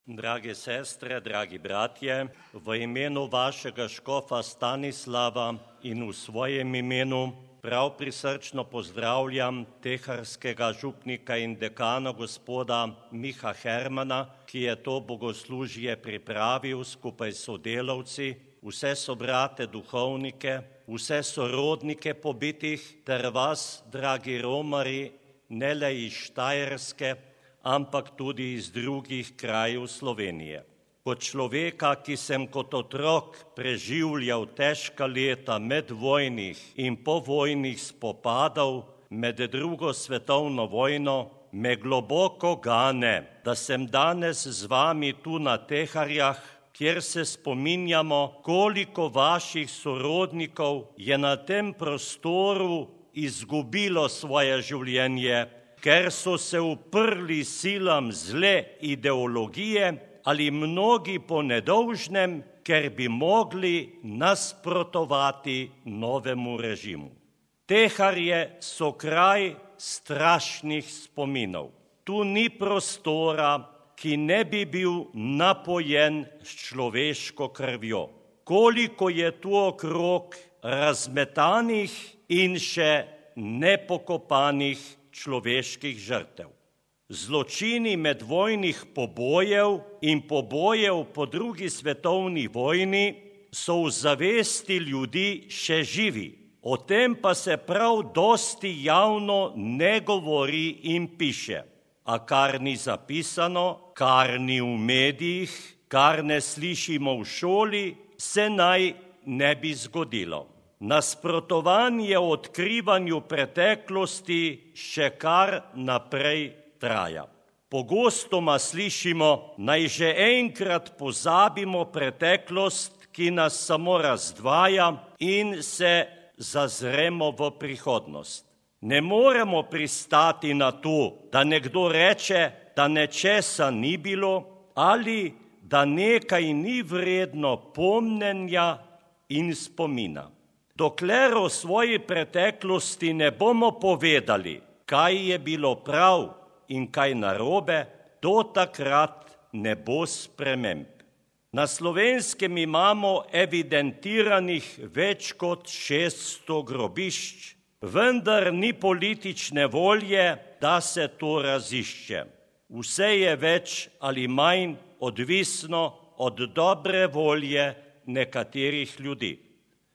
Drage sestre, dragi bratje, v imenu vašega škofa Stanislava in v svojem imenu prav prisrčno pozdravljam teharskega župnika in dekana gospoda Miha Hermana, ki je to bogoslužje pripravil skupaj s sodelavci, vse sobrate duhovnike, vse sorodnike pobitih ter vas, dragi romari, ne le iz Štajerske, ampak tudi iz drugih krajev Slovenije. Kot človeka, ki sem kot otrok preživljal težka leta medvojnih in povojnih spopadov med drugo svetovno vojno, me globoko gane, da sem danes z vami tu na Teharjah, kjer se spominjamo, koliko vaših sorodnikov je na tem prostoru izgubilo svoje življenje, ker so se uprli silam zle ideologije ali mnogi po nedolžnem, ker bi mogli nasprotovati novemu režimu. Teharje so kraj strašnih spominov. Tu ni prostora, ki ne bi bil napojen s človeško krvjo. Koliko je tu okrog razmetanih in še nepokopanih človeških žrtev. Zločini medvojnih pobojev in pobojev po drugi svetovni vojni so v zavesti ljudi še živi. O tem pa se prav dosti javno ne govori in piše. A kar ni zapisano, kar ni v medijih, kar ne slišimo v šoli, se naj ne bi zgodilo. Nasprotovanje odkrivanju preteklosti še kar naprej traja. Pogostoma slišimo, naj že enkrat pozabimo preteklost, ki nas samo razdvaja, in se zazremo v prihodnost. Ne moremo pristati na to, da nekdo reče, da nečesa ni bilo ali da nekaj ni vredno pomnenja in spomina. Dokler o svoji preteklosti ne bomo povedali, kaj je bilo prav in kaj narobe, do takrat ne bo sprememb. Na Slovenskem imamo evidentiranih več kot 600 grobišč, vendar ni politične volje, da se to razišče. Vse je več ali manj odvisno od dobre volje nekaterih ljudi.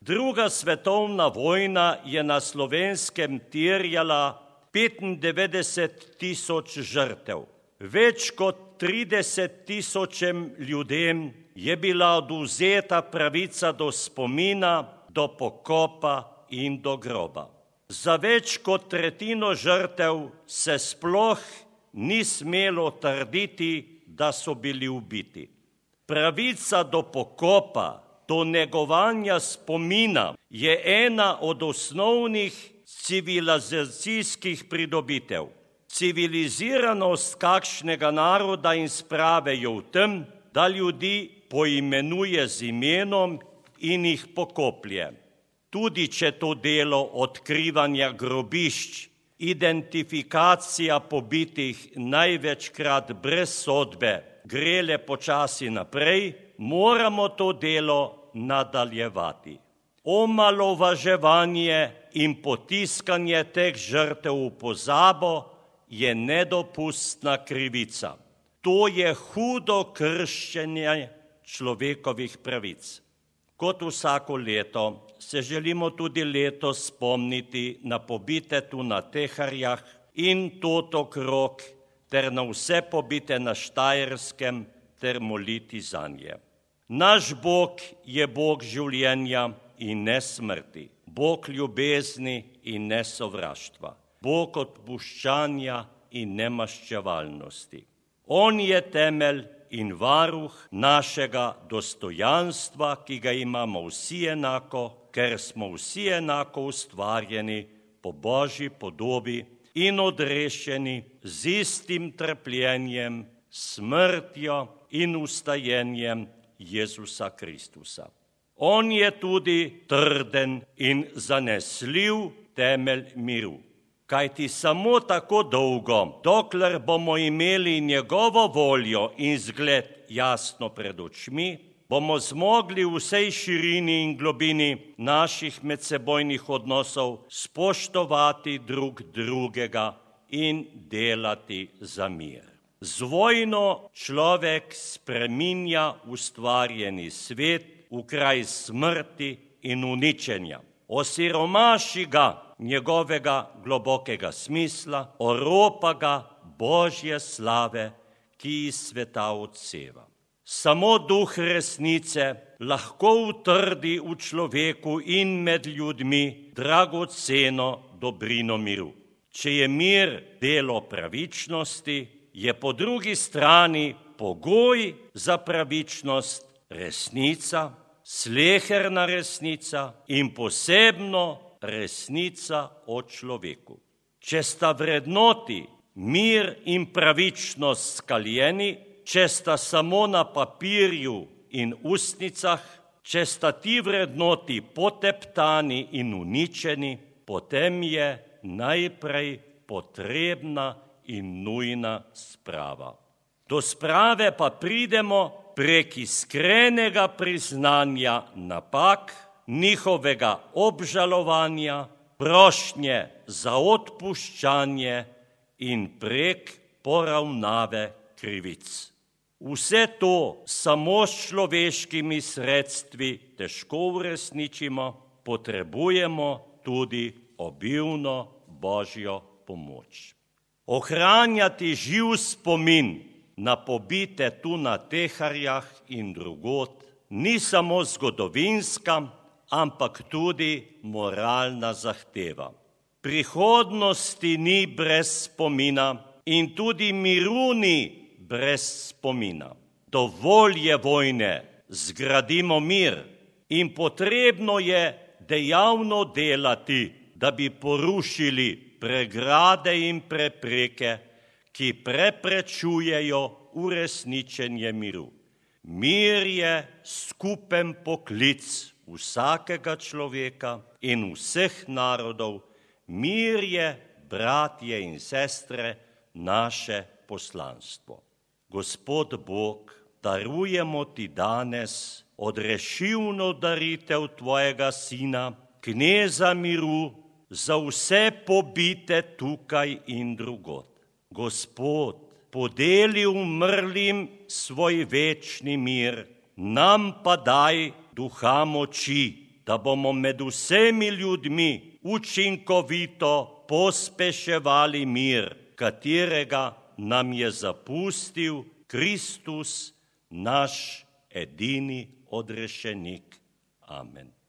Druga svetovna vojna je na Slovenskem terjala 95.000 žrtev. Več kot 30.000 ljudem je bila odvzeta pravica do spomina, do pokopa in do groba. Za več kot tretjino žrtev se sploh ni smelo trditi, da so bili ubiti. Pravica do pokopa, do negovanja spomina je ena od osnovnih civilizacijskih pridobitev. Civiliziranost kakšnega naroda in sprave je v tem, da ljudi poimenuje z imenom in jih pokoplje. Tudi če to delo odkrivanja grobišč, identifikacija pobitih največkrat brez sodbe gre le počasi naprej, moramo to delo nadaljevati. Omalovaževanje in potiskanje teh žrtev v pozabo je nedopustna krivica. To je hudo kršenje človekovih pravic. Kot vsako leto se želimo tudi letos spomniti na pobite tu na Teharjah in tot okrog ter na vse pobite na Štajerskem ter moliti zanje. Naš Bog je Bog življenja in ne smrti, Bog ljubezni in ne sovraštva, Bog odpuščanja in ne maščevalnosti. On je temelj in varuh našega dostojanstva, ki ga imamo vsi enako, ker smo vsi enako ustvarjeni po Božji podobi in odrešeni z istim trpljenjem, smrtjo in vstajenjem Jezusa Kristusa. On je tudi trden in zanesljiv temelj miru. Kajti samo tako dolgo, dokler bomo imeli njegovo voljo in zgled jasno pred očmi, bomo zmogli v vsej širini in globini naših medsebojnih odnosov spoštovati drug drugega in delati za mir. Z vojno človek spreminja ustvarjeni svet v kraj smrti in uničenja. Osiromaši ga njegovega globokega smisla, oropa ga Božje slave, ki iz sveta odseva. Samo duh resnice lahko utrdi v človeku in med ljudmi dragoceno dobrino miru. Če je mir delo pravičnosti, je po drugi strani pogoj za pravičnost resnica, sleherna resnica in posebno resnica o človeku. Če sta vrednoti mir in pravičnost skaljeni, če sta samo na papirju in ustnicah, če sta ti vrednoti poteptani in uničeni, potem je najprej potrebna in nujna sprava. Do sprave pa pridemo prek iskrenega priznanja napak, njihovega obžalovanja, prošnje za odpuščanje in prek poravnave krivic. Vse to samo s človeškimi sredstvi težko uresničimo, potrebujemo tudi obilno Božjo pomoč. Ohranjati živ spomin na pobite tu na Teharjah in drugod ni samo zgodovinska, ampak tudi moralna zahteva. Prihodnosti ni brez spomina in tudi miru ni brez spomina. Dovolj je vojne, zgradimo mir in potrebno je dejavno delati, da bi porušili pregrade in prepreke, ki preprečujejo uresničenje miru. Mir je skupen poklic vsakega človeka in vseh narodov. Mir je, bratje in sestre, naše poslanstvo. Gospod Bog, darujemo ti danes odrešilno daritev tvojega sina, kneza miru, za vse pobite tukaj in drugod. Gospod, podeli umrlim svoj večni mir, nam pa daj duha moči, da bomo med vsemi ljudmi učinkovito pospeševali mir, katerega nam je zapustil Kristus, naš edini odrešenik. Amen.